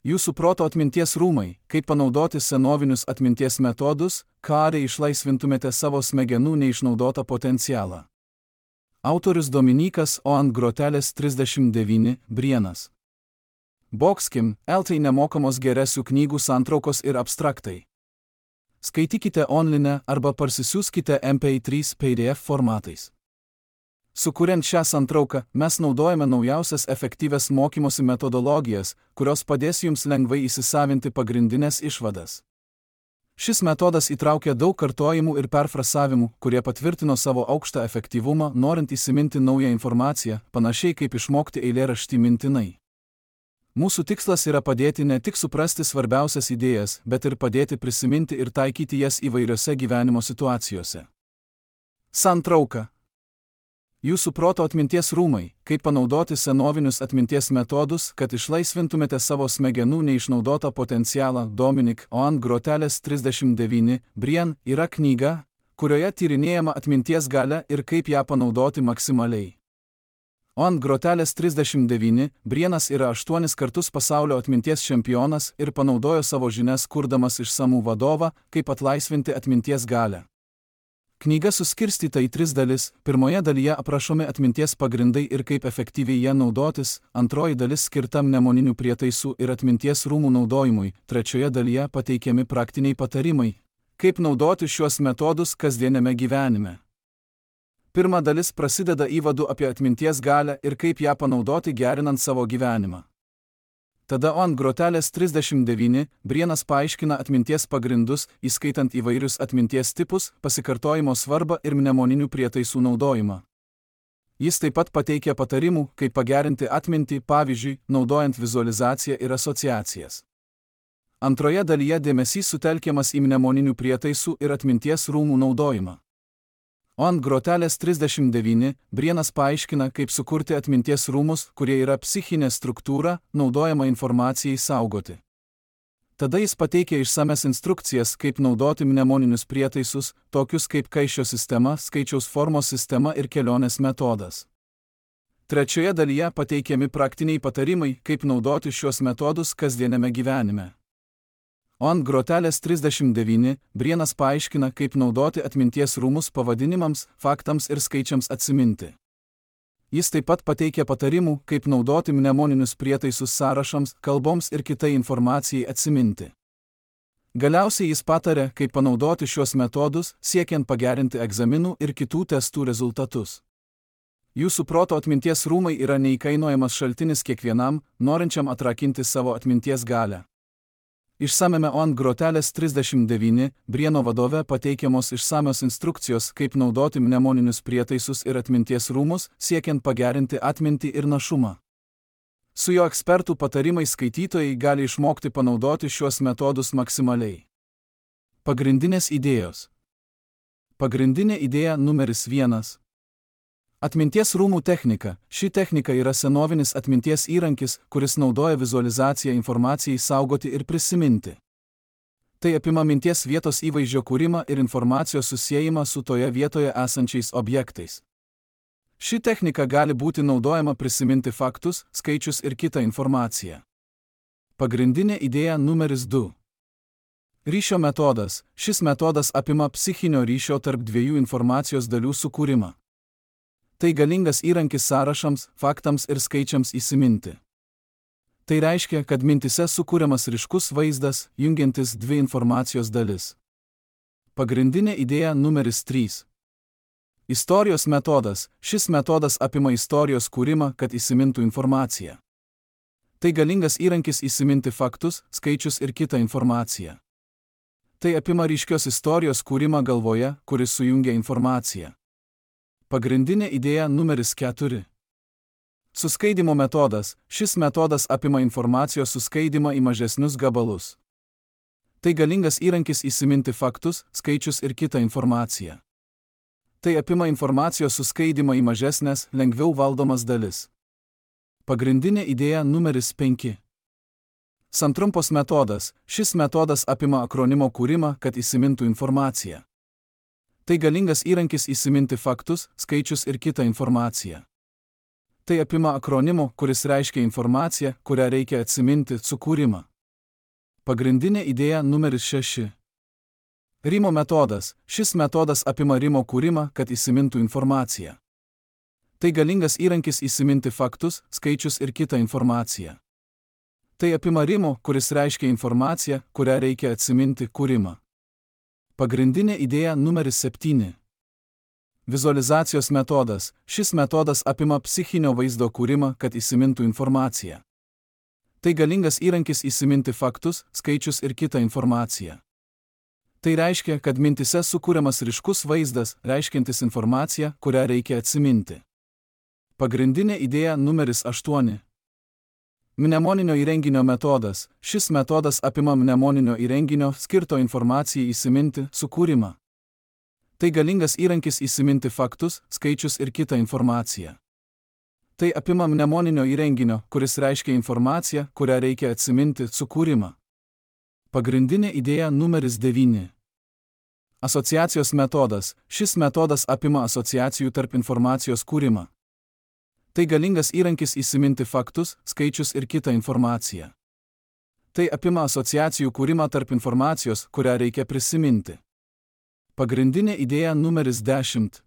Jūsų proto atminties rūmai, kaip panaudoti senovinius atminties metodus, kad išlaisvintumėte savo smegenų neišnaudotą potencialą. Autorius Dominykas O. ant grotelės 39, Brienas. Boxkim, LT nemokamos geresių knygų santraukos ir abstraktai. Skaitykite online arba parsisiųskite MP3 PDF formatais. Sukuriant šią santrauką, mes naudojame naujausias efektyvias mokymosi metodologijas, kurios padės jums lengvai įsisavinti pagrindinės išvadas. Šis metodas įtraukia daug kartojimų ir perfrasavimų, kurie patvirtino savo aukštą efektyvumą, norint įsiminti naują informaciją, panašiai kaip išmokti eilėraštį mintinai. Mūsų tikslas yra padėti ne tik suprasti svarbiausias idėjas, bet ir padėti prisiminti ir taikyti jas įvairiose gyvenimo situacijose. Santrauka. Jūsų proto atminties rūmai, kaip panaudoti senovinius atminties metodus, kad išlaisvintumėte savo smegenų neišnaudotą potencialą. Dominik O. ant grotelės 39, Brien yra knyga, kurioje tyrinėjama atminties galia ir kaip ją panaudoti maksimaliai. O. ant grotelės 39, Brienas yra 8 kartus pasaulio atminties čempionas ir panaudojo savo žinias kurdamas išsamų vadovą, kaip atlaisvinti atminties galią. Knyga suskirstyta į 3 dalis, pirmoje dalyje aprašomi atminties pagrindai ir kaip efektyviai jie naudotis, antroji dalis skirta mnemoninių prietaisų ir atminties rūmų naudojimui, trečioje dalyje pateikiami praktiniai patarimai, kaip naudoti šiuos metodus kasdieniame gyvenime. Pirma dalis prasideda įvadu apie atminties galią ir kaip ją panaudoti gerinant savo gyvenimą. Tada O. ant grotelės 39, Brienas paaiškina atminties pagrindus, įskaitant įvairius atminties tipus, pasikartojimo svarbą ir mnemoninių prietaisų naudojimą. Jis taip pat pateikia patarimų, kaip pagerinti atmintį, pavyzdžiui, naudojant vizualizaciją ir asociacijas. Antroje dalyje dėmesys sutelkiamas į mnemoninių prietaisų ir atminties rūmų naudojimą. O. ant grotelės 39, Brienas paaiškina, kaip sukurti atminties rūmus, kurie yra psichinė struktūra, naudojama informacijai saugoti. Tada jis pateikia išsames instrukcijas, kaip naudoti mnemoninius prietaisus, tokius kaip kaišio sistema, skaičiaus formos sistema ir kelionės metodas. Trečioje dalyje pateikiami praktiniai patarimai, kaip naudoti šios metodus kasdieniame gyvenime. O. ant grotelės 39, Brienas paaiškina, kaip naudoti atminties rūmus pavadinimams, faktams ir skaičiams atsiminti. Jis taip pat pateikia patarimų, kaip naudoti mnemoninius prietaisus sąrašams, kalboms ir kitai informacijai atsiminti. Galiausiai jis pataria, kaip panaudoti šiuos metodus, siekiant pagerinti egzaminų ir kitų testų rezultatus. Jūsų proto atminties rūmai yra neįkainojamas šaltinis kiekvienam, norinčiam atrakinti savo atminties galią. Išsamiame O. ant grotelės 39, Brieno vadove pateikiamos išsamios instrukcijos, kaip naudoti mnemoninius prietaisus ir atminties rūmus, siekiant pagerinti atmintį ir našumą. Su jo ekspertų patarimais skaitytojai gali išmokti panaudoti šiuos metodus maksimaliai. Pagrindinės idėjos. Pagrindinė idėja numeris 1. Atminties rūmų technika. Ši technika yra senovinis atminties įrankis, kuris naudoja vizualizaciją informacijai saugoti ir prisiminti. Tai apima minties vietos įvaizdžio kūrimą ir informacijos susiejimą su toje vietoje esančiais objektais. Ši technika gali būti naudojama prisiminti faktus, skaičius ir kitą informaciją. Pagrindinė idėja numeris 2. Ryšio metodas. Šis metodas apima psichinio ryšio tarp dviejų informacijos dalių sukūrimą. Tai galingas įrankis sąrašams, faktams ir skaičiams įsiminti. Tai reiškia, kad mintise sukūriamas ryškus vaizdas, jungiantis dvi informacijos dalis. Pagrindinė idėja numeris 3. Istorijos metodas. Šis metodas apima istorijos kūrimą, kad įsimintų informaciją. Tai galingas įrankis įsiminti faktus, skaičius ir kitą informaciją. Tai apima ryškios istorijos kūrimą galvoje, kuris sujungia informaciją. Pagrindinė idėja numeris 4. Suskaidimo metodas. Šis metodas apima informacijos suskaidimą į mažesnius gabalus. Tai galingas įrankis įsiminti faktus, skaičius ir kitą informaciją. Tai apima informacijos suskaidimą į mažesnės, lengviau valdomas dalis. Pagrindinė idėja numeris 5. Santrumpos metodas. Šis metodas apima akronimo kūrimą, kad įsimintų informaciją. Tai galingas įrankis įsiminti faktus, skaičius ir kitą informaciją. Tai apima akronimo, kuris reiškia informaciją, kurią reikia atsiminti, sukūrimą. Pagrindinė idėja numeris 6. Rimo metodas. Šis metodas apima rimo kūrimą, kad įsimintų informaciją. Tai galingas įrankis įsiminti faktus, skaičius ir kitą informaciją. Tai apima rimo, kuris reiškia informaciją, kurią reikia atsiminti, kūrimą. Pagrindinė idėja numeris 7. Vizualizacijos metodas. Šis metodas apima psichinio vaizdo kūrimą, kad įsimintų informaciją. Tai galingas įrankis įsiminti faktus, skaičius ir kitą informaciją. Tai reiškia, kad mintise sukūriamas ryškus vaizdas, reiškiantis informaciją, kurią reikia atsiminti. Pagrindinė idėja numeris 8. Mnemoninio įrenginio metodas. Šis metodas apima mnemoninio įrenginio, skirto informacijai įsiminti, sukūrimą. Tai galingas įrankis įsiminti faktus, skaičius ir kitą informaciją. Tai apima mnemoninio įrenginio, kuris reiškia informaciją, kurią reikia atsiminti, sukūrimą. Pagrindinė idėja numeris 9. Asociacijos metodas. Šis metodas apima asociacijų tarp informacijos kūrimą. Tai galingas įrankis įsiminti faktus, skaičius ir kitą informaciją. Tai apima asociacijų kūrimą tarp informacijos, kurią reikia prisiminti. Pagrindinė idėja numeris 10.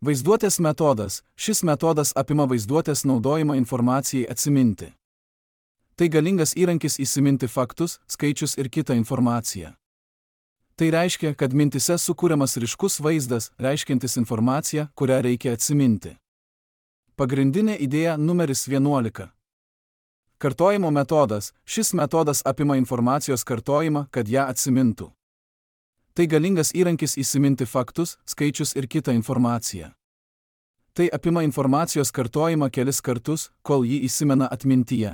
Vaizduotės metodas. Šis metodas apima vaizduotės naudojimą informacijai atsiminti. Tai galingas įrankis įsiminti faktus, skaičius ir kitą informaciją. Tai reiškia, kad mintise sukūriamas ryškus vaizdas, reiškiantis informaciją, kurią reikia atsiminti. Pagrindinė idėja numeris 11. Kartojimo metodas. Šis metodas apima informacijos kartojimą, kad ją atsimintų. Tai galingas įrankis įsiminti faktus, skaičius ir kitą informaciją. Tai apima informacijos kartojimą kelis kartus, kol jį įsimena atmintyje.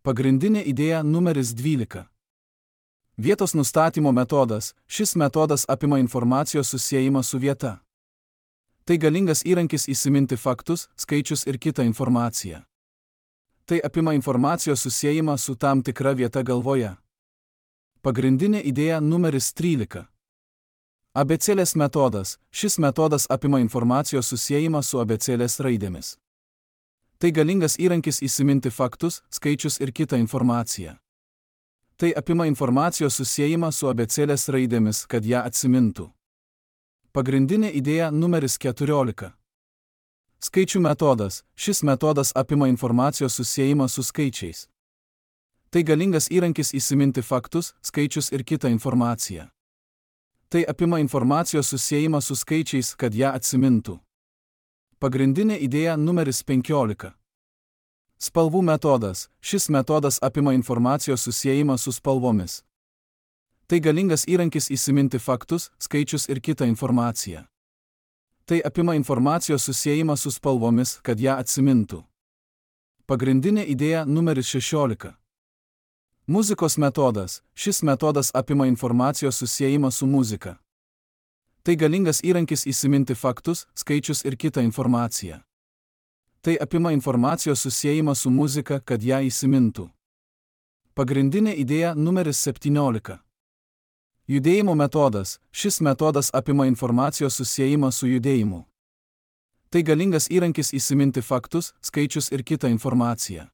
Pagrindinė idėja numeris 12. Vietos nustatymo metodas. Šis metodas apima informacijos susiejimą su vieta. Tai galingas įrankis įsiminti faktus, skaičius ir kitą informaciją. Tai apima informacijos susiejimą su tam tikra vieta galvoje. Pagrindinė idėja numeris 13. Abėcėlės metodas. Šis metodas apima informacijos susiejimą su abėcėlės raidėmis. Tai galingas įrankis įsiminti faktus, skaičius ir kitą informaciją. Tai apima informacijos susiejimą su abėcėlės raidėmis, kad ją atsimintų. Pagrindinė idėja numeris 14. Skaičių metodas. Šis metodas apima informacijos susiejimą su skaičiais. Tai galingas įrankis įsiminti faktus, skaičius ir kitą informaciją. Tai apima informacijos susiejimą su skaičiais, kad ją atsimintų. Pagrindinė idėja numeris 15. Spalvų metodas. Šis metodas apima informacijos susiejimą su spalvomis. Tai galingas įrankis įsiminti faktus, skaičius ir kitą informaciją. Tai apima informacijos susiejimą su spalvomis, kad ją atsimintų. Pagrindinė idėja numeris 16. Muzikos metodas. Šis metodas apima informacijos susiejimą su muzika. Tai galingas įrankis įsiminti faktus, skaičius ir kitą informaciją. Tai apima informacijos susiejimą su muzika, kad ją įsimintų. Pagrindinė idėja numeris 17. Judėjimo metodas. Šis metodas apima informacijos susiejimą su judėjimu. Tai galingas įrankis įsiminti faktus, skaičius ir kitą informaciją.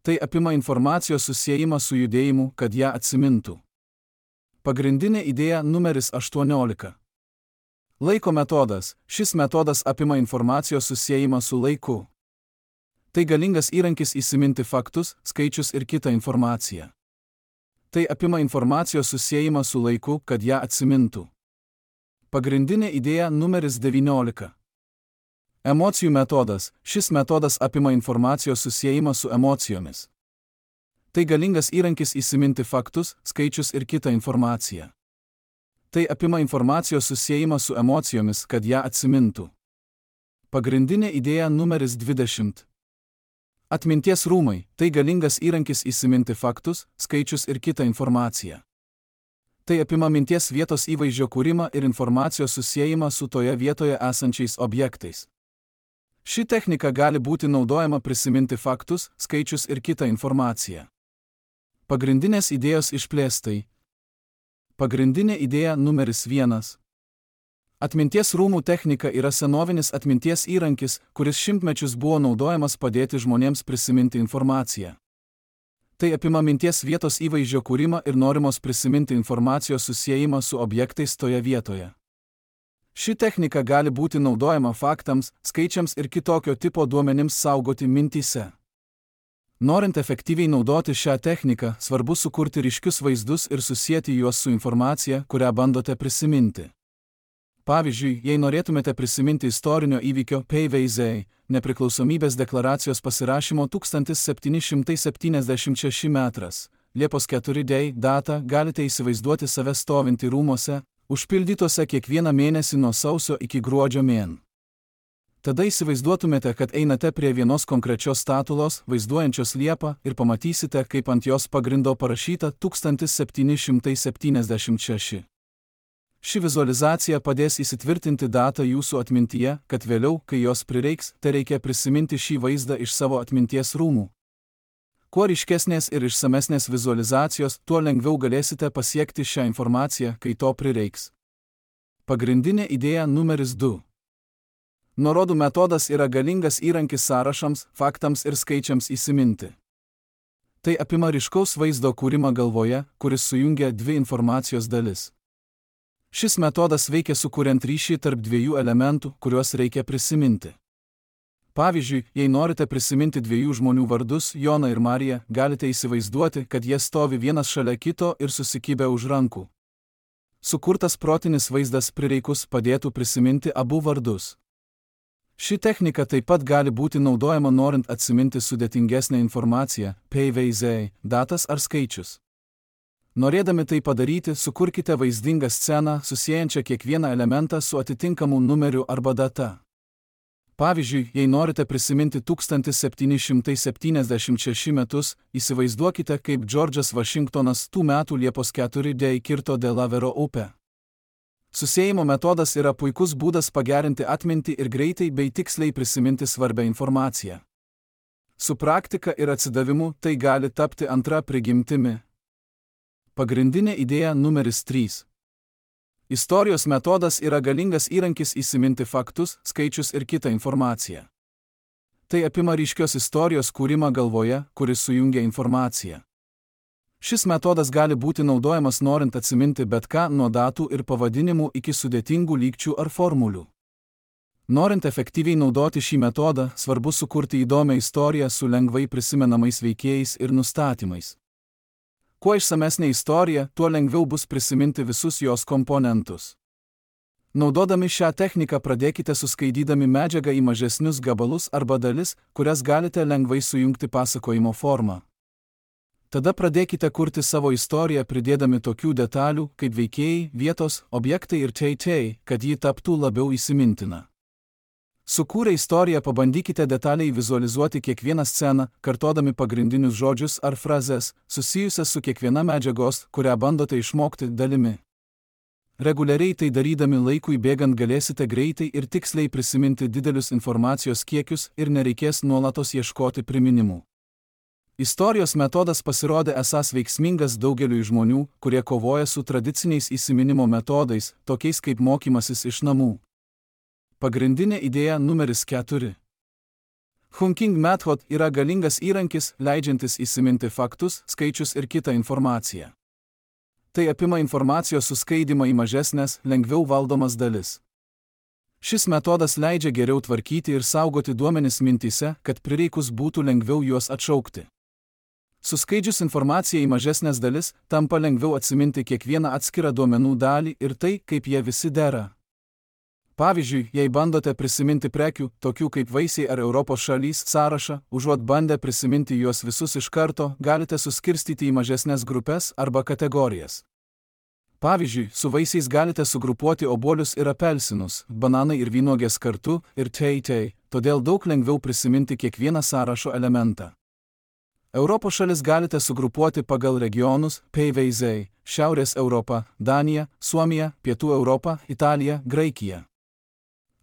Tai apima informacijos susiejimą su judėjimu, kad ją atsimintų. Pagrindinė idėja numeris 18. Laiko metodas. Šis metodas apima informacijos susiejimą su laiku. Tai galingas įrankis įsiminti faktus, skaičius ir kitą informaciją. Tai apima informacijos susiejimą su laiku, kad ją atsimintų. Pagrindinė idėja numeris 19. Emocijų metodas. Šis metodas apima informacijos susiejimą su emocijomis. Tai galingas įrankis įsiminti faktus, skaičius ir kitą informaciją. Tai apima informacijos susiejimą su emocijomis, kad ją atsimintų. Pagrindinė idėja numeris 20. Atminties rūmai. Tai galingas įrankis įsiminti faktus, skaičius ir kitą informaciją. Tai apima minties vietos įvaizdžio kūrimą ir informacijos susiejimą su toje vietoje esančiais objektais. Ši technika gali būti naudojama prisiminti faktus, skaičius ir kitą informaciją. Pagrindinės idėjos išplėstai. Pagrindinė idėja numeris 1. Atminties rūmų technika yra senovinis atminties įrankis, kuris šimtmečius buvo naudojamas padėti žmonėms prisiminti informaciją. Tai apima minties vietos įvaizdžio kūrimą ir norimos prisiminti informacijos susiejimą su objektais toje vietoje. Ši technika gali būti naudojama faktams, skaičiams ir kitokio tipo duomenims saugoti mintyse. Norint efektyviai naudoti šią techniką, svarbu sukurti ryškius vaizdus ir susieti juos su informacija, kurią bandote prisiminti. Pavyzdžiui, jei norėtumėte prisiminti istorinio įvykio PVZ, nepriklausomybės deklaracijos pasirašymo 1776 metras, Liepos 4 datą, galite įsivaizduoti save stovintį rūmuose, užpildytose kiekvieną mėnesį nuo sausio iki gruodžio mėn. Tada įsivaizduotumėte, kad einate prie vienos konkrečios statulos, vaizduojančios liepą, ir pamatysite, kaip ant jos pagrindo parašyta 1776. Ši vizualizacija padės įsitvirtinti datą jūsų atmintyje, kad vėliau, kai jos prireiks, tereikia prisiminti šį vaizdą iš savo atminties rūmų. Kuo ryškesnės ir išsamesnės vizualizacijos, tuo lengviau galėsite pasiekti šią informaciją, kai to prireiks. Pagrindinė idėja numeris 2. Nuorodų metodas yra galingas įrankis sąrašams, faktams ir skaičiams įsiminti. Tai apima ryškaus vaizdo kūrimą galvoje, kuris sujungia dvi informacijos dalis. Šis metodas veikia sukuriant ryšį tarp dviejų elementų, kuriuos reikia prisiminti. Pavyzdžiui, jei norite prisiminti dviejų žmonių vardus, Joną ir Mariją, galite įsivaizduoti, kad jie stovi vienas šalia kito ir susikibę už rankų. Sukurtas protinis vaizdas prireikus padėtų prisiminti abu vardus. Ši technika taip pat gali būti naudojama norint atsiminti sudėtingesnę informaciją, PVZ, datas ar skaičius. Norėdami tai padaryti, sukurkite vaizdingą sceną, susiejančią kiekvieną elementą su atitinkamu numeriu arba data. Pavyzdžiui, jei norite prisiminti 1776 metus, įsivaizduokite, kaip Džordžas Vašingtonas tų metų Liepos 4 kirto Delavero upę. Susiejimo metodas yra puikus būdas pagerinti atmintį ir greitai bei tiksliai prisiminti svarbią informaciją. Su praktika ir atsidavimu tai gali tapti antra prigimtimi. Pagrindinė idėja numeris 3. Istorijos metodas yra galingas įrankis įsiminti faktus, skaičius ir kitą informaciją. Tai apima ryškios istorijos kūrimą galvoje, kuris sujungia informaciją. Šis metodas gali būti naudojamas norint atsiminti bet ką nuo datų ir pavadinimų iki sudėtingų lygčių ar formulių. Norint efektyviai naudoti šį metodą, svarbu sukurti įdomią istoriją su lengvai prisimenamais veikėjais ir nustatymais. Kuo išsamesnė istorija, tuo lengviau bus prisiminti visus jos komponentus. Naudodami šią techniką pradėkite suskaidydami medžiagą į mažesnius gabalus arba dalis, kurias galite lengvai sujungti pasakojimo formą. Tada pradėkite kurti savo istoriją pridėdami tokių detalių, kaip veikėjai, vietos, objektai ir tei, kad ji taptų labiau įsimintina. Sukūrę istoriją pabandykite detaliai vizualizuoti kiekvieną sceną, kartodami pagrindinius žodžius ar frazes, susijusias su kiekviena medžiagos, kurią bandote išmokti dalimi. Reguliariai tai darydami laikui bėgant galėsite greitai ir tiksliai prisiminti didelius informacijos kiekius ir nereikės nuolatos ieškoti priminimų. Istorijos metodas pasirodė esąs veiksmingas daugeliui žmonių, kurie kovoja su tradiciniais įsiminimo metodais, tokiais kaip mokymasis iš namų. Pagrindinė idėja numeris 4. Hunking Method yra galingas įrankis, leidžiantis įsiminti faktus, skaičius ir kitą informaciją. Tai apima informacijos suskaidymą į mažesnės, lengviau valdomas dalis. Šis metodas leidžia geriau tvarkyti ir saugoti duomenis mintyse, kad prireikus būtų lengviau juos atšaukti. Suskaidžius informaciją į mažesnės dalis, tampa lengviau atsiminti kiekvieną atskirą duomenų dalį ir tai, kaip jie visi dera. Pavyzdžiui, jei bandote prisiminti prekių, tokių kaip vaisiai ar Europos šalys sąrašą, užuot bandę prisiminti juos visus iš karto, galite suskirstyti į mažesnės grupės arba kategorijas. Pavyzdžiui, su vaisiais galite sugrupuoti obuolius ir apelsinus, bananai ir vynuogės kartu ir tei, todėl daug lengviau prisiminti kiekvieną sąrašo elementą. Europos šalis galite sugrupuoti pagal regionus, PVZ, Šiaurės Europą, Daniją, Suomiją, Pietų Europą, Italiją, Graikiją.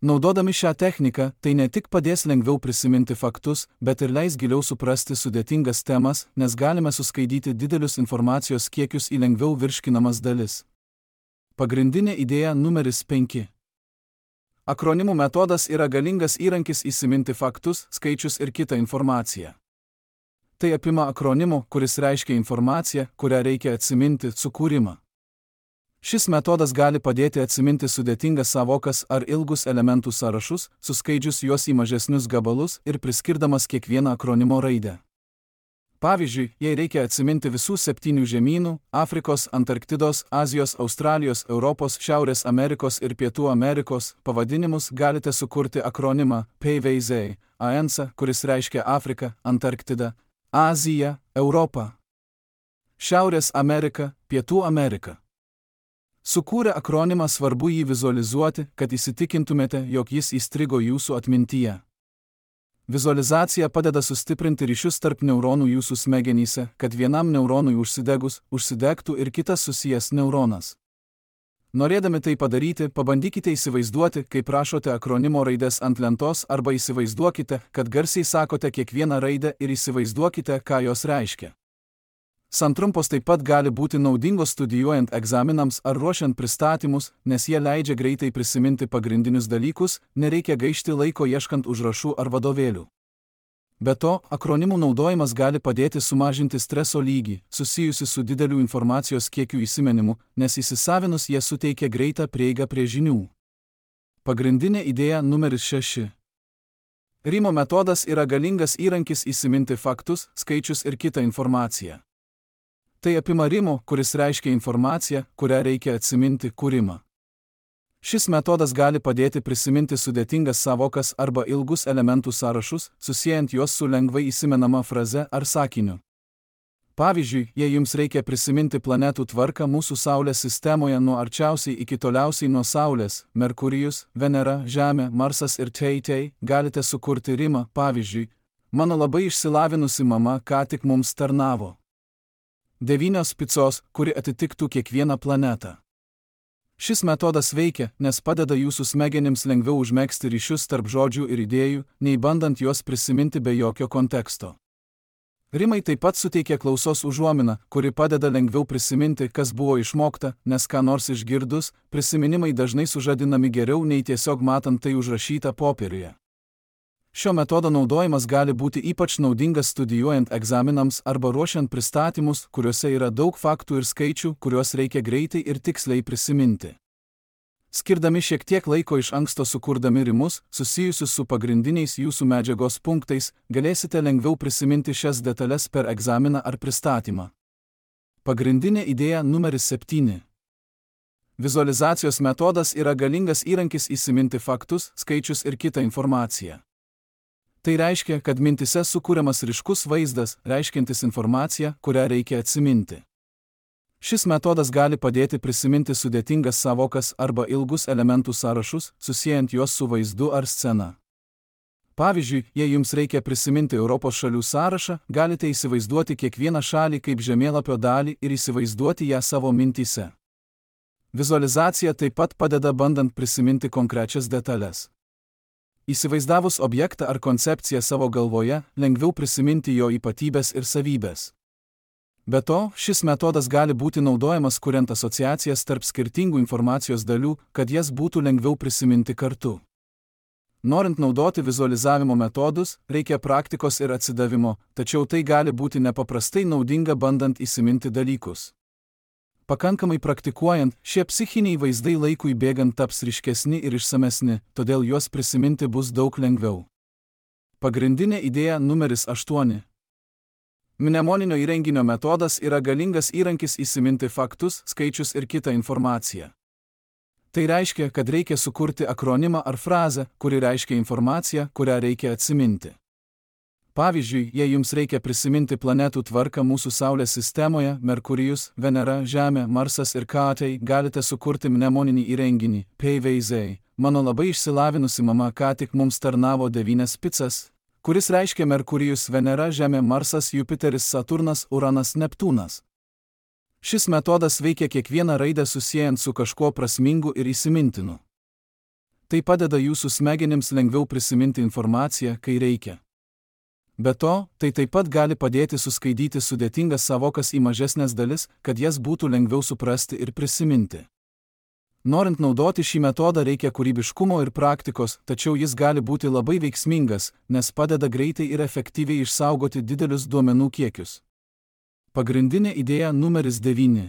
Naudodami šią techniką, tai ne tik padės lengviau prisiminti faktus, bet ir leis giliau suprasti sudėtingas temas, nes galime suskaidyti didelius informacijos kiekius į lengviau virškinamas dalis. Pagrindinė idėja numeris 5. Akronimų metodas yra galingas įrankis įsiminti faktus, skaičius ir kitą informaciją. Tai apima akronimo, kuris reiškia informaciją, kurią reikia atsiminti, sukūrimą. Šis metodas gali padėti atsiminti sudėtingas sąvokas ar ilgus elementų sąrašus, suskaidžius juos į mažesnius gabalus ir priskirdamas kiekvieną akronimo raidę. Pavyzdžiui, jei reikia atsiminti visų 7 žemynų – Afrikos, Antarktidos, Azijos, Australijos, Europos, Šiaurės Amerikos ir Pietų Amerikos – pavadinimus, galite sukurti akronimą PVZ, ANC, kuris reiškia Afriką, Antarktidą, Aziją, Europą, Šiaurės Ameriką, Pietų Ameriką. Sukūrę akronimą svarbu jį vizualizuoti, kad įsitikintumėte, jog jis įstrigo jūsų atmintyje. Vizualizacija padeda sustiprinti ryšius tarp neuronų jūsų smegenyse, kad vienam neuronui užsidegus, užsidegtų ir kitas susijęs neuronas. Norėdami tai padaryti, pabandykite įsivaizduoti, kaip rašote akronimo raides ant lentos arba įsivaizduokite, kad garsiai sakote kiekvieną raidę ir įsivaizduokite, ką jos reiškia. Santrumpos taip pat gali būti naudingos studijuojant egzaminams ar ruošiant pristatymus, nes jie leidžia greitai prisiminti pagrindinius dalykus, nereikia gaišti laiko ieškant užrašų ar vadovėlių. Be to, akronimų naudojimas gali padėti sumažinti streso lygį, susijusi su dideliu informacijos kiekiu įsiminimu, nes įsisavinus jie suteikia greitą prieigą prie žinių. Pagrindinė idėja numeris 6. Rimo metodas yra galingas įrankis įsiminti faktus, skaičius ir kitą informaciją. Tai apima rimo, kuris reiškia informaciją, kurią reikia atsiminti, kūrimą. Šis metodas gali padėti prisiminti sudėtingas sąvokas arba ilgus elementų sąrašus, susiejant juos su lengvai įsimenama fraze ar sakiniu. Pavyzdžiui, jei jums reikia prisiminti planetų tvarką mūsų Saulės sistemoje nuo arčiausiai iki toliausiai nuo Saulės – Merkurijus, Venera, Žemė, Marsas ir Tei, galite sukurti rimą, pavyzdžiui, mano labai išsilavinusi mama ką tik mums tarnavo. 9 picos, kuri atitiktų kiekvieną planetą. Šis metodas veikia, nes padeda jūsų smegenims lengviau užmegzti ryšius tarp žodžių ir idėjų, nei bandant juos prisiminti be jokio konteksto. Rimai taip pat suteikia klausos užuominą, kuri padeda lengviau prisiminti, kas buvo išmokta, nes ką nors išgirdus, prisiminimai dažnai sužadinami geriau nei tiesiog matant tai užrašyta popieriuje. Šio metodo naudojimas gali būti ypač naudingas studijuojant egzaminams arba ruošiant pristatymus, kuriuose yra daug faktų ir skaičių, kuriuos reikia greitai ir tiksliai prisiminti. Skirdami šiek tiek laiko iš anksto sukurdami rimus, susijusius su pagrindiniais jūsų medžiagos punktais, galėsite lengviau prisiminti šias detalės per egzaminą ar pristatymą. Pagrindinė idėja numeris 7. Vizualizacijos metodas yra galingas įrankis įsiminti faktus, skaičius ir kitą informaciją. Tai reiškia, kad mintise sukūriamas ryškus vaizdas, reiškiantis informaciją, kurią reikia atsiminti. Šis metodas gali padėti prisiminti sudėtingas sąvokas arba ilgus elementų sąrašus, susiejant juos su vaizdu ar scena. Pavyzdžiui, jei jums reikia prisiminti Europos šalių sąrašą, galite įsivaizduoti kiekvieną šalį kaip žemėlapio dalį ir įsivaizduoti ją savo mintyse. Vizualizacija taip pat padeda bandant prisiminti konkrečias detalės. Įsivaizdavus objektą ar koncepciją savo galvoje, lengviau prisiminti jo ypatybės ir savybės. Be to, šis metodas gali būti naudojamas kuriant asociacijas tarp skirtingų informacijos dalių, kad jas būtų lengviau prisiminti kartu. Norint naudoti vizualizavimo metodus, reikia praktikos ir atsidavimo, tačiau tai gali būti nepaprastai naudinga bandant įsiminti dalykus. Pakankamai praktikuojant, šie psichiniai vaizdai laikui bėgant taps ryškesni ir išsamesni, todėl juos prisiminti bus daug lengviau. Pagrindinė idėja numeris 8. Mnemoninio įrenginio metodas yra galingas įrankis įsiminti faktus, skaičius ir kitą informaciją. Tai reiškia, kad reikia sukurti akronimą ar frazę, kuri reiškia informaciją, kurią reikia atsiminti. Pavyzdžiui, jei jums reikia prisiminti planetų tvarką mūsų Saulės sistemoje – Merkurijus, Venera, Žemė, Marsas ir Tei, galite sukurti mnemoninį įrenginį – PVZ. Mano labai išsilavinusi mama ką tik mums tarnavo 9 picas, kuris reiškia Merkurijus, Venera, Žemė, Marsas, Jupiteris, Saturnas, Uranas, Neptūnas. Šis metodas veikia kiekvieną raidę susijęs su kažkuo prasmingu ir įsimintinu. Tai padeda jūsų smegenims lengviau prisiminti informaciją, kai reikia. Be to, tai taip pat gali padėti suskaidyti sudėtingas sąvokas į mažesnės dalis, kad jas būtų lengviau suprasti ir prisiminti. Norint naudoti šį metodą reikia kūrybiškumo ir praktikos, tačiau jis gali būti labai veiksmingas, nes padeda greitai ir efektyviai išsaugoti didelius duomenų kiekius. Pagrindinė idėja numeris 9.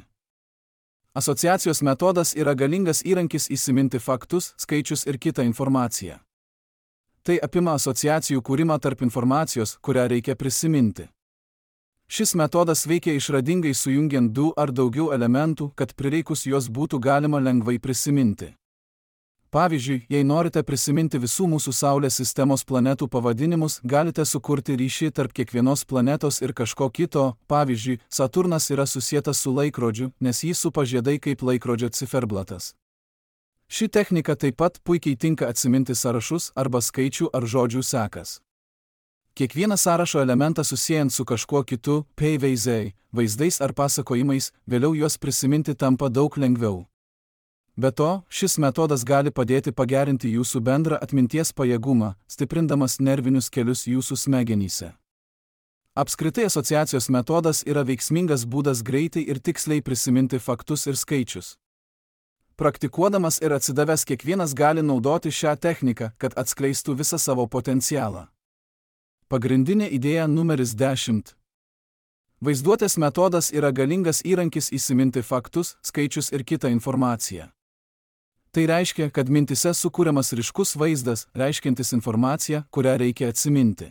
Asociacijos metodas yra galingas įrankis įsiminti faktus, skaičius ir kitą informaciją. Tai apima asociacijų kūrimą tarp informacijos, kurią reikia prisiminti. Šis metodas veikia išradingai sujungiant 2 ar daugiau elementų, kad prireikus juos būtų galima lengvai prisiminti. Pavyzdžiui, jei norite prisiminti visų mūsų Saulės sistemos planetų pavadinimus, galite sukurti ryšį tarp kiekvienos planetos ir kažko kito, pavyzdžiui, Saturnas yra susietas su laikrodžiu, nes jį supa žiedai kaip laikrodžio ciferblatas. Ši technika taip pat puikiai tinka atsiminti sąrašus arba skaičių ar žodžių sekas. Kiekvieną sąrašo elementą susiejant su kažkuo kitu, vaizdais ar pasakojimais, vėliau juos prisiminti tampa daug lengviau. Be to, šis metodas gali padėti pagerinti jūsų bendrą atminties pajėgumą, stiprindamas nervinius kelius jūsų smegenyse. Apskritai asociacijos metodas yra veiksmingas būdas greitai ir tiksliai prisiminti faktus ir skaičius. Praktikuodamas ir atsidavęs kiekvienas gali naudoti šią techniką, kad atskleistų visą savo potencialą. Pagrindinė idėja numeris 10. Vaizduotės metodas yra galingas įrankis įsiminti faktus, skaičius ir kitą informaciją. Tai reiškia, kad mintise sukūriamas ryškus vaizdas, reiškiantis informaciją, kurią reikia atsiminti.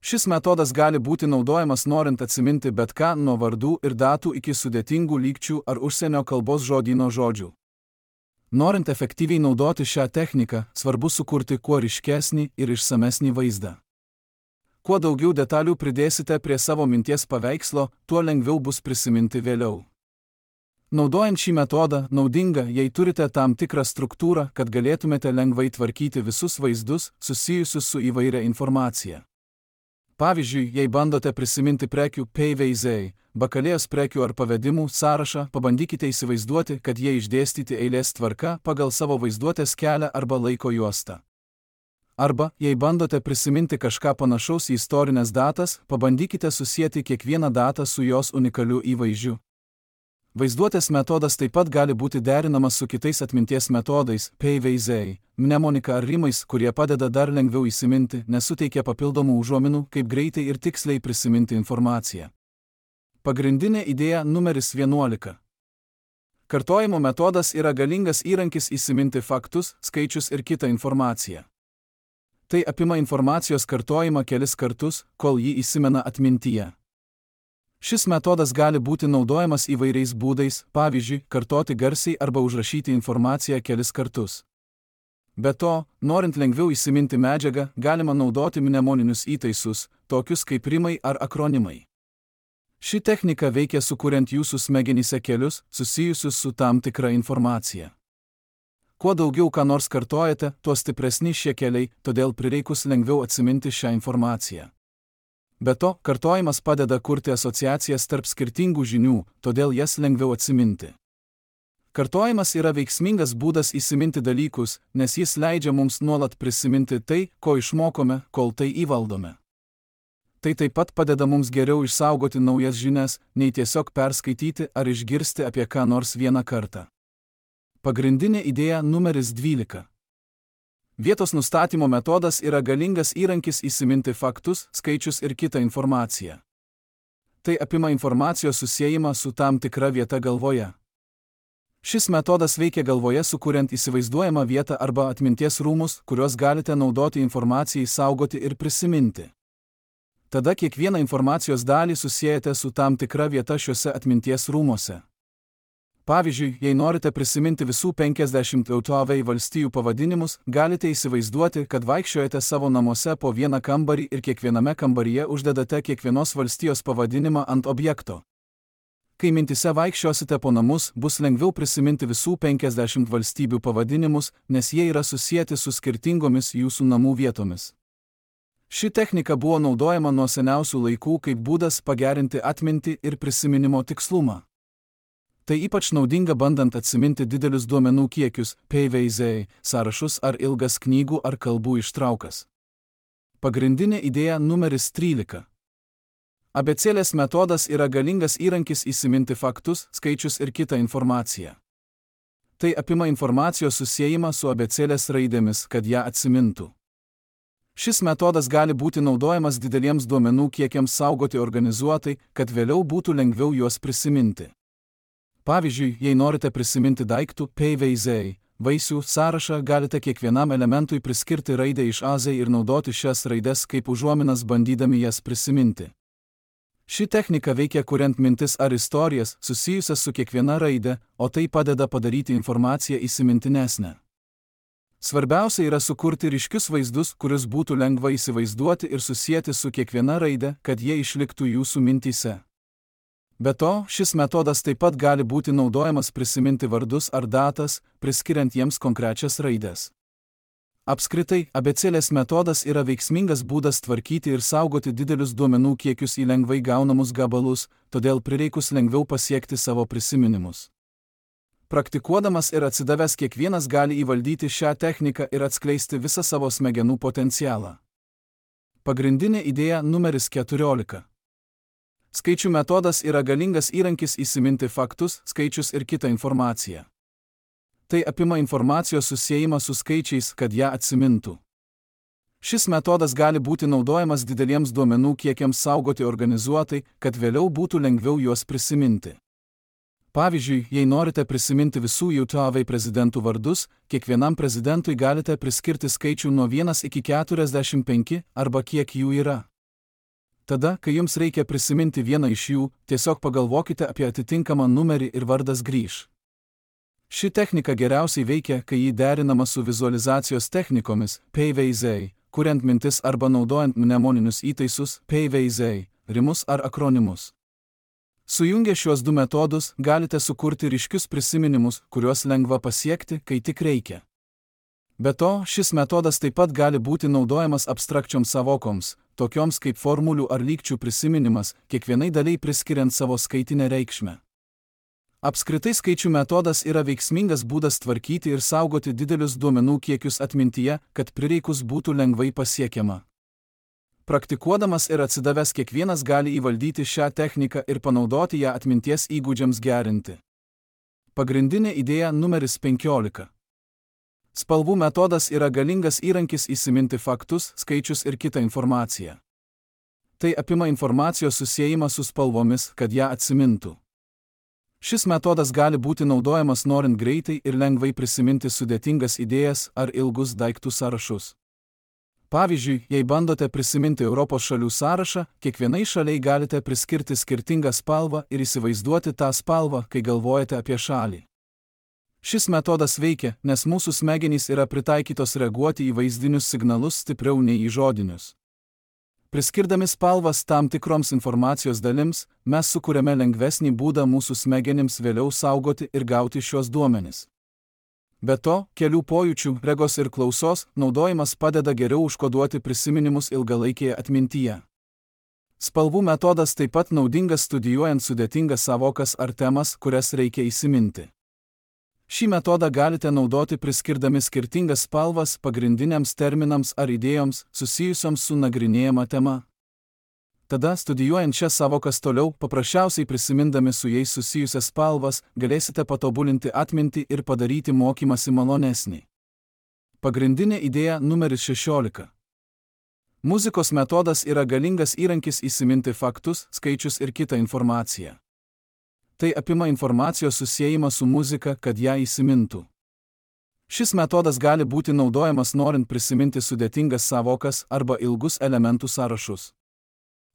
Šis metodas gali būti naudojamas norint atsiminti bet ką nuo vardų ir datų iki sudėtingų lygčių ar užsienio kalbos žodyno žodžių. Norint efektyviai naudoti šią techniką, svarbu sukurti kuo ryškesnį ir išsamesnį vaizdą. Kuo daugiau detalių pridėsite prie savo minties paveikslo, tuo lengviau bus prisiminti vėliau. Naudojant šį metodą, naudinga, jei turite tam tikrą struktūrą, kad galėtumėte lengvai tvarkyti visus vaizdus, susijusius su įvairia informacija. Pavyzdžiui, jei bandote prisiminti prekių bakalėjos prekių ar pavedimų sąrašą, pabandykite įsivaizduoti, kad jie išdėstyti eilės tvarka pagal savo vaizduotės kelią arba laiko juostą. Arba, jei bandote prisiminti kažką panašaus į istorinės datas, pabandykite susieti kiekvieną datą su jos unikaliu įvaizdžiu. Vaizduotės metodas taip pat gali būti derinamas su kitais atminties metodais, mnemonika ar rimais, kurie padeda dar lengviau įsiminti, nes suteikia papildomų užuominų, kaip greitai ir tiksliai prisiminti informaciją. Pagrindinė idėja numeris 11. Kartojimo metodas yra galingas įrankis įsiminti faktus, skaičius ir kitą informaciją. Tai apima informacijos kartojimą kelis kartus, kol jį įsimena atmintyje. Šis metodas gali būti naudojamas įvairiais būdais, pavyzdžiui, kartoti garsiai arba užrašyti informaciją kelis kartus. Be to, norint lengviau įsiminti medžiagą, galima naudoti mnemoninius įtaisus, tokius kaip rimai ar akronimai. Ši technika veikia sukuriant jūsų smegenyse kelius, susijusius su tam tikra informacija. Kuo daugiau ką nors kartojate, tuo stipresni šie keliai, todėl prireikus lengviau atsiminti šią informaciją. Be to, kartojimas padeda kurti asociacijas tarp skirtingų žinių, todėl jas lengviau atsiminti. Kartojimas yra veiksmingas būdas įsiminti dalykus, nes jis leidžia mums nuolat prisiminti tai, ko išmokome, kol tai įvaldome. Tai taip pat padeda mums geriau išsaugoti naujas žinias, nei tiesiog perskaityti ar išgirsti apie ką nors vieną kartą. Pagrindinė idėja numeris 12. Vietos nustatymo metodas yra galingas įrankis įsiminti faktus, skaičius ir kitą informaciją. Tai apima informacijos susiejimą su tam tikra vieta galvoje. Šis metodas veikia galvoje sukuriant įsivaizduojamą vietą arba atminties rūmus, kuriuos galite naudoti informacijai saugoti ir prisiminti. Tada kiekvieną informacijos dalį susiejate su tam tikra vieta šiuose atminties rūmuose. Pavyzdžiui, jei norite prisiminti visų 50 valstijų pavadinimus, galite įsivaizduoti, kad vaikščiojate savo namuose po vieną kambarį ir kiekviename kambaryje uždedate kiekvienos valstijos pavadinimą ant objekto. Kai mintise vaikščiosite po namus, bus lengviau prisiminti visų 50 valstybių pavadinimus, nes jie yra susijęti su skirtingomis jūsų namų vietomis. Ši technika buvo naudojama nuo seniausių laikų kaip būdas pagerinti atmintį ir prisiminimo tikslumą. Tai ypač naudinga bandant atsiminti didelius duomenų kiekius, sąrašus ar ilgas knygų ar kalbų ištraukas. Pagrindinė idėja numeris 13. Abėcėlės metodas yra galingas įrankis įsiminti faktus, skaičius ir kitą informaciją. Tai apima informacijos susiejimą su abėcėlės raidėmis, kad ją atsimintų. Šis metodas gali būti naudojamas dideliems duomenų kiekiams saugoti organizuotai, kad vėliau būtų lengviau juos prisiminti. Pavyzdžiui, jei norite prisiminti daiktų PVZ, vaisių sąrašą, galite kiekvienam elementui priskirti raidę iš A Z ir naudoti šias raides kaip užuominas bandydami jas prisiminti. Ši technika veikia kuriant mintis ar istorijas susijusias su kiekviena raide, o tai padeda padaryti informaciją įsimintinesnę. Svarbiausia yra sukurti ryškius vaizdus, kuriuos būtų lengva įsivaizduoti ir susijęti su kiekviena raide, kad jie išliktų jūsų mintyse. Be to, šis metodas taip pat gali būti naudojamas prisiminti vardus ar datas, priskiriant jiems konkrečias raides. Apskritai, abėcėlės metodas yra veiksmingas būdas tvarkyti ir saugoti didelius duomenų kiekius į lengvai gaunamus gabalus, todėl prireikus lengviau pasiekti savo prisiminimus. Praktikuodamas ir atsidavęs kiekvienas gali įvaldyti šią techniką ir atskleisti visą savo smegenų potencialą. Pagrindinė idėja numeris 14. Skaičių metodas yra galingas įrankis įsiminti faktus, skaičius ir kitą informaciją. Tai apima informacijos susiejimą su skaičiais, kad ją atsimintų. Šis metodas gali būti naudojamas dideliems duomenų kiekiams saugoti organizuotai, kad vėliau būtų lengviau juos prisiminti. Pavyzdžiui, jei norite prisiminti visų JAV prezidentų vardus, kiekvienam prezidentui galite priskirti skaičių nuo 1 iki 45 arba kiek jų yra. Tada, kai jums reikia prisiminti vieną iš jų, tiesiog pagalvokite apie atitinkamą numerį ir vardas grįš. Ši technika geriausiai veikia, kai ji derinama su vizualizacijos technikomis PVZ, kuriant mintis arba naudojant mnemoninius įtaisus PVZ, rimus ar akronimus. Sujungę šiuos du metodus, galite sukurti ryškius prisiminimus, kuriuos lengva pasiekti, kai tik reikia. Be to, šis metodas taip pat gali būti naudojamas abstrakčioms savokoms, tokioms kaip formulių ar lygčių prisiminimas, kiekvienai daliai priskiriant savo skaitinę reikšmę. Apskritai skaičių metodas yra veiksmingas būdas tvarkyti ir saugoti didelius duomenų kiekius atmintyje, kad prireikus būtų lengvai pasiekiama. Praktikuodamas ir atsidavęs kiekvienas gali įvaldyti šią techniką ir panaudoti ją atminties įgūdžiams gerinti. Pagrindinė idėja numeris 15. Spalvų metodas yra galingas įrankis įsiminti faktus, skaičius ir kitą informaciją. Tai apima informacijos susiejimą su spalvomis, kad ją atsimintų. Šis metodas gali būti naudojamas norint greitai ir lengvai prisiminti sudėtingas idėjas ar ilgus daiktų sąrašus. Pavyzdžiui, jei bandote prisiminti Europos šalių sąrašą, kiekvienai šaliai galite priskirti skirtingą spalvą ir įsivaizduoti tą spalvą, kai galvojate apie šalį. Šis metodas veikia, nes mūsų smegenys yra pritaikytos reaguoti į vaizdinius signalus stipriau nei į žodinius. Priskirdami spalvas tam tikroms informacijos dalims, mes sukuriame lengvesnį būdą mūsų smegenims vėliau saugoti ir gauti šios duomenis. Be to, kelių pojūčių, regos ir klausos naudojimas padeda geriau užkoduoti prisiminimus ilgalaikėje atmintyje. Spalvų metodas taip pat naudingas studijuojant sudėtingas savokas ar temas, kurias reikia įsiminti. Šį metodą galite naudoti priskirdami skirtingas spalvas pagrindiniams terminams ar idėjoms susijusioms su nagrinėjama tema. Tada, studijuojant šias savokas toliau, paprasčiausiai prisimindami su jais susijusias spalvas, galėsite patobulinti atmintį ir padaryti mokymąsi malonesnį. Pagrindinė idėja numeris 16. Muzikos metodas yra galingas įrankis įsiminti faktus, skaičius ir kitą informaciją. Tai apima informacijos susiejimą su muzika, kad ją įsimintų. Šis metodas gali būti naudojamas norint prisiminti sudėtingas savokas arba ilgus elementų sąrašus.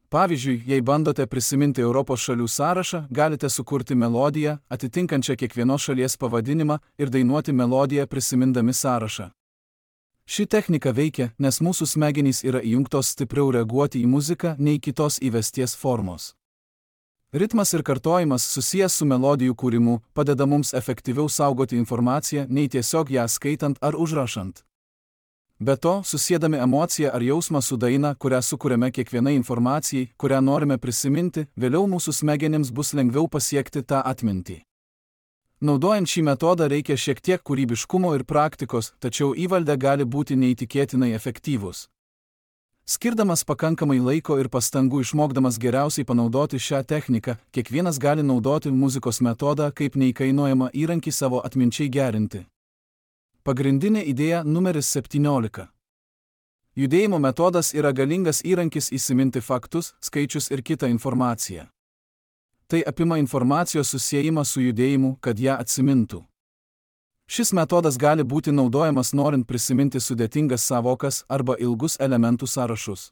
Pavyzdžiui, jei bandote prisiminti Europos šalių sąrašą, galite sukurti melodiją, atitinkančią kiekvienos šalies pavadinimą ir dainuoti melodiją prisimindami sąrašą. Ši technika veikia, nes mūsų smegenys yra įjungtos stipriau reaguoti į muziką nei kitos įvesties formos. Ritmas ir kartojimas susijęs su melodijų kūrimu padeda mums efektyviau saugoti informaciją nei tiesiog ją skaitant ar užrašant. Be to, susiedami emociją ar jausmą su daina, kurią sukuriame kiekvienai informacijai, kurią norime prisiminti, vėliau mūsų smegenims bus lengviau pasiekti tą atmintį. Naudojant šį metodą reikia šiek tiek kūrybiškumo ir praktikos, tačiau įvaldę gali būti neįtikėtinai efektyvus. Skirdamas pakankamai laiko ir pastangų išmokdamas geriausiai panaudoti šią techniką, kiekvienas gali naudoti muzikos metodą kaip neįkainojamą įrankį savo atminčiai gerinti. Pagrindinė idėja numeris 17. Judėjimo metodas yra galingas įrankis įsiminti faktus, skaičius ir kitą informaciją. Tai apima informacijos susiejimą su judėjimu, kad ją atsimintų. Šis metodas gali būti naudojamas norint prisiminti sudėtingas sąvokas arba ilgus elementų sąrašus.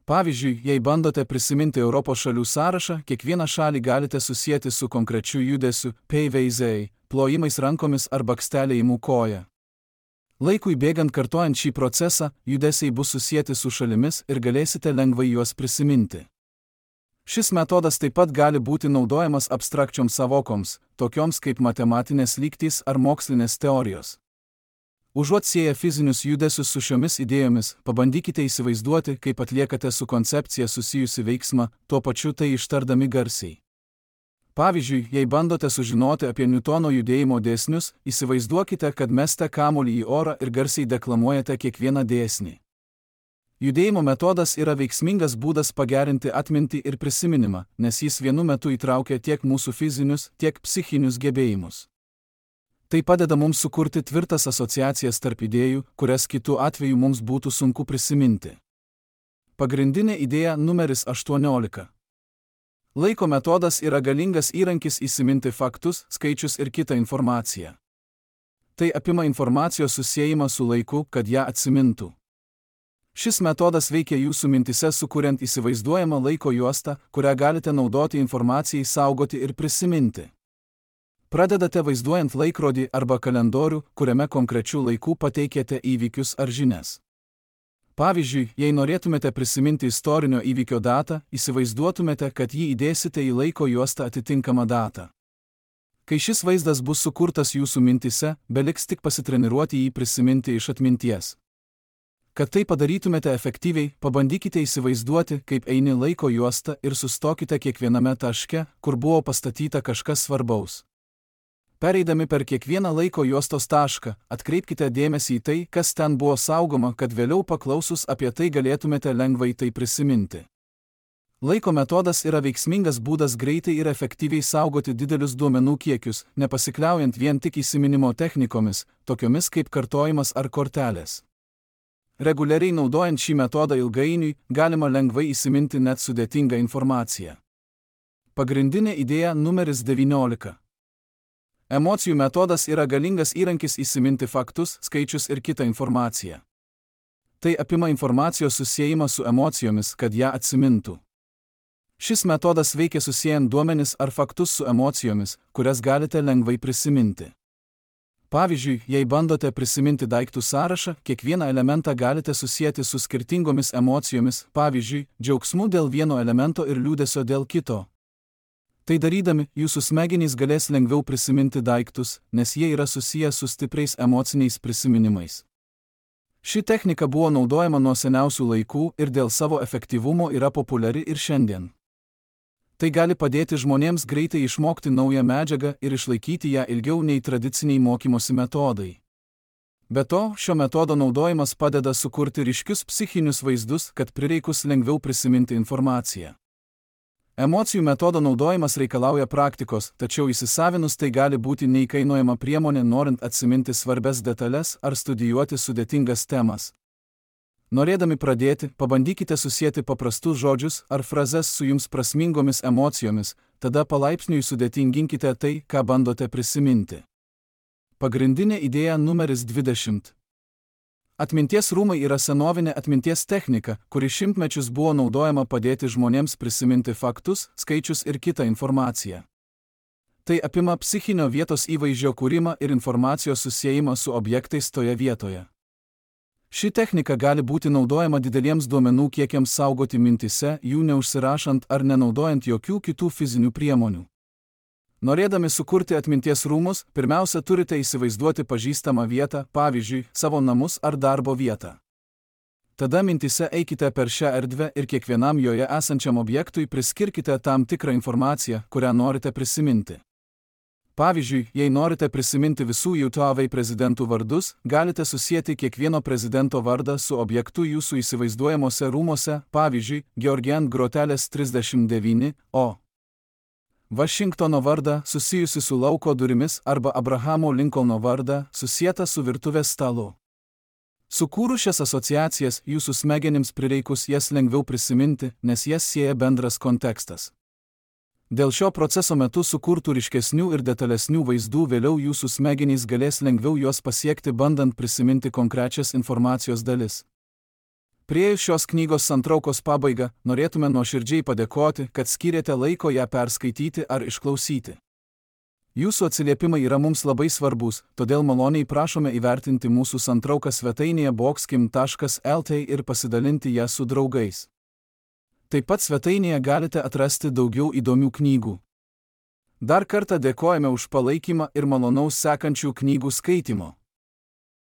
Pavyzdžiui, jei bandote prisiminti Europos šalių sąrašą, kiekvieną šalį galite susieti su konkrečiu judesiu, pavyzdžiui, plojimais rankomis ar bakstelėjimu koja. Laikui bėgant kartojant šį procesą, judesiai bus susieti su šalimis ir galėsite lengvai juos prisiminti. Šis metodas taip pat gali būti naudojamas abstrakčioms sąvokoms, tokioms kaip matematinės lygtys ar mokslinės teorijos. Užuot sieję fizinius judesius su šiomis idėjomis, pabandykite įsivaizduoti, kaip atliekate su koncepcija susijusi veiksmą, tuo pačiu tai ištardami garsiai. Pavyzdžiui, jei bandote sužinoti apie Niutono judėjimo dėsnius, įsivaizduokite, kad mesite kamuolį į orą ir garsiai deklamuojate kiekvieną dėsnį. Judėjimo metodas yra veiksmingas būdas pagerinti atmintį ir prisiminimą, nes jis vienu metu įtraukia tiek mūsų fizinius, tiek psichinius gebėjimus. Tai padeda mums sukurti tvirtas asociacijas tarp idėjų, kurias kitu atveju mums būtų sunku prisiminti. Pagrindinė idėja numeris 18. Laiko metodas yra galingas įrankis įsiminti faktus, skaičius ir kitą informaciją. Tai apima informacijos susiejimą su laiku, kad ją atsimintų. Šis metodas veikia jūsų mintise sukuriant įsivaizduojamą laiko juostą, kurią galite naudoti informacijai saugoti ir prisiminti. Pradedate vaizduojant laikrodį arba kalendorių, kuriame konkrečiu laiku pateikėte įvykius ar žinias. Pavyzdžiui, jei norėtumėte prisiminti istorinio įvykio datą, įsivaizduotumėte, kad jį įdėsite į laiko juostą atitinkamą datą. Kai šis vaizdas bus sukurtas jūsų mintise, beliks tik pasitreniruoti jį prisiminti iš atminties. Kad tai padarytumėte efektyviai, pabandykite įsivaizduoti, kaip eini laiko juostą ir sustokite kiekviename taške, kur buvo pastatyta kažkas svarbaus. Pereidami per kiekvieną laiko juostos tašką, atkreipkite dėmesį į tai, kas ten buvo saugoma, kad vėliau paklausus apie tai galėtumėte lengvai tai prisiminti. Laiko metodas yra veiksmingas būdas greitai ir efektyviai saugoti didelius duomenų kiekius, nepasikliaujant vien tik įsiminimo technikomis, tokiomis kaip kartojimas ar kortelės. Reguliariai naudojant šį metodą ilgainiui, galima lengvai įsiminti net sudėtingą informaciją. Pagrindinė idėja numeris 19. Emocijų metodas yra galingas įrankis įsiminti faktus, skaičius ir kitą informaciją. Tai apima informacijos susiejimą su emocijomis, kad ją atsimintų. Šis metodas veikia susiejant duomenis ar faktus su emocijomis, kurias galite lengvai prisiminti. Pavyzdžiui, jei bandote prisiminti daiktų sąrašą, kiekvieną elementą galite susieti su skirtingomis emocijomis, pavyzdžiui, džiaugsmu dėl vieno elemento ir liūdesio dėl kito. Tai darydami, jūsų smegenys galės lengviau prisiminti daiktus, nes jie yra susiję su stipriais emociniais prisiminimais. Ši technika buvo naudojama nuo seniausių laikų ir dėl savo efektyvumo yra populiari ir šiandien. Tai gali padėti žmonėms greitai išmokti naują medžiagą ir išlaikyti ją ilgiau nei tradiciniai mokymosi metodai. Be to, šio metodo naudojimas padeda sukurti ryškius psichinius vaizdus, kad prireikus lengviau prisiminti informaciją. Emocijų metodo naudojimas reikalauja praktikos, tačiau įsisavinus tai gali būti neįkainojama priemonė norint atsiminti svarbias detalės ar studijuoti sudėtingas temas. Norėdami pradėti, pabandykite susieti paprastus žodžius ar frazes su jums prasmingomis emocijomis, tada palaipsniui sudėtinginkite tai, ką bandote prisiminti. Pagrindinė idėja numeris 20. Atminties rūmai yra senovinė atminties technika, kuri šimtmečius buvo naudojama padėti žmonėms prisiminti faktus, skaičius ir kitą informaciją. Tai apima psichinio vietos įvaizdžio kūrimą ir informacijos susiejimą su objektais toje vietoje. Ši technika gali būti naudojama dideliems duomenų kiekiams saugoti mintise, jų neužsirašant ar nenaudojant jokių kitų fizinių priemonių. Norėdami sukurti atminties rūmus, pirmiausia turite įsivaizduoti pažįstamą vietą, pavyzdžiui, savo namus ar darbo vietą. Tada mintise eikite per šią erdvę ir kiekvienam joje esančiam objektui priskirkite tam tikrą informaciją, kurią norite prisiminti. Pavyzdžiui, jei norite prisiminti visų JAV prezidentų vardus, galite susieti kiekvieno prezidento vardą su objektu jūsų įsivaizduojamuose rūmuose, pavyzdžiui, Georgian Grotelės 39, o Vašingtono vardą susijusi su lauko durimis arba Abrahamo Lincolno vardą susietą su virtuvės stalu. Sukūrus šias asociacijas, jūsų smegenims prireikus jas lengviau prisiminti, nes jas sieja bendras kontekstas. Dėl šio proceso metu sukurtų ryškesnių ir detalesnių vaizdų vėliau jūsų smegenys galės lengviau juos pasiekti, bandant prisiminti konkrečias informacijos dalis. Priėjus šios knygos santraukos pabaigą, norėtume nuoširdžiai padėkoti, kad skyrėte laiko ją perskaityti ar išklausyti. Jūsų atsiliepimai yra mums labai svarbus, todėl maloniai prašome įvertinti mūsų santrauką svetainėje boxkim.lt ir pasidalinti ją su draugais. Taip pat svetainėje galite atrasti daugiau įdomių knygų. Dar kartą dėkojame už palaikymą ir malonaus sekančių knygų skaitimo.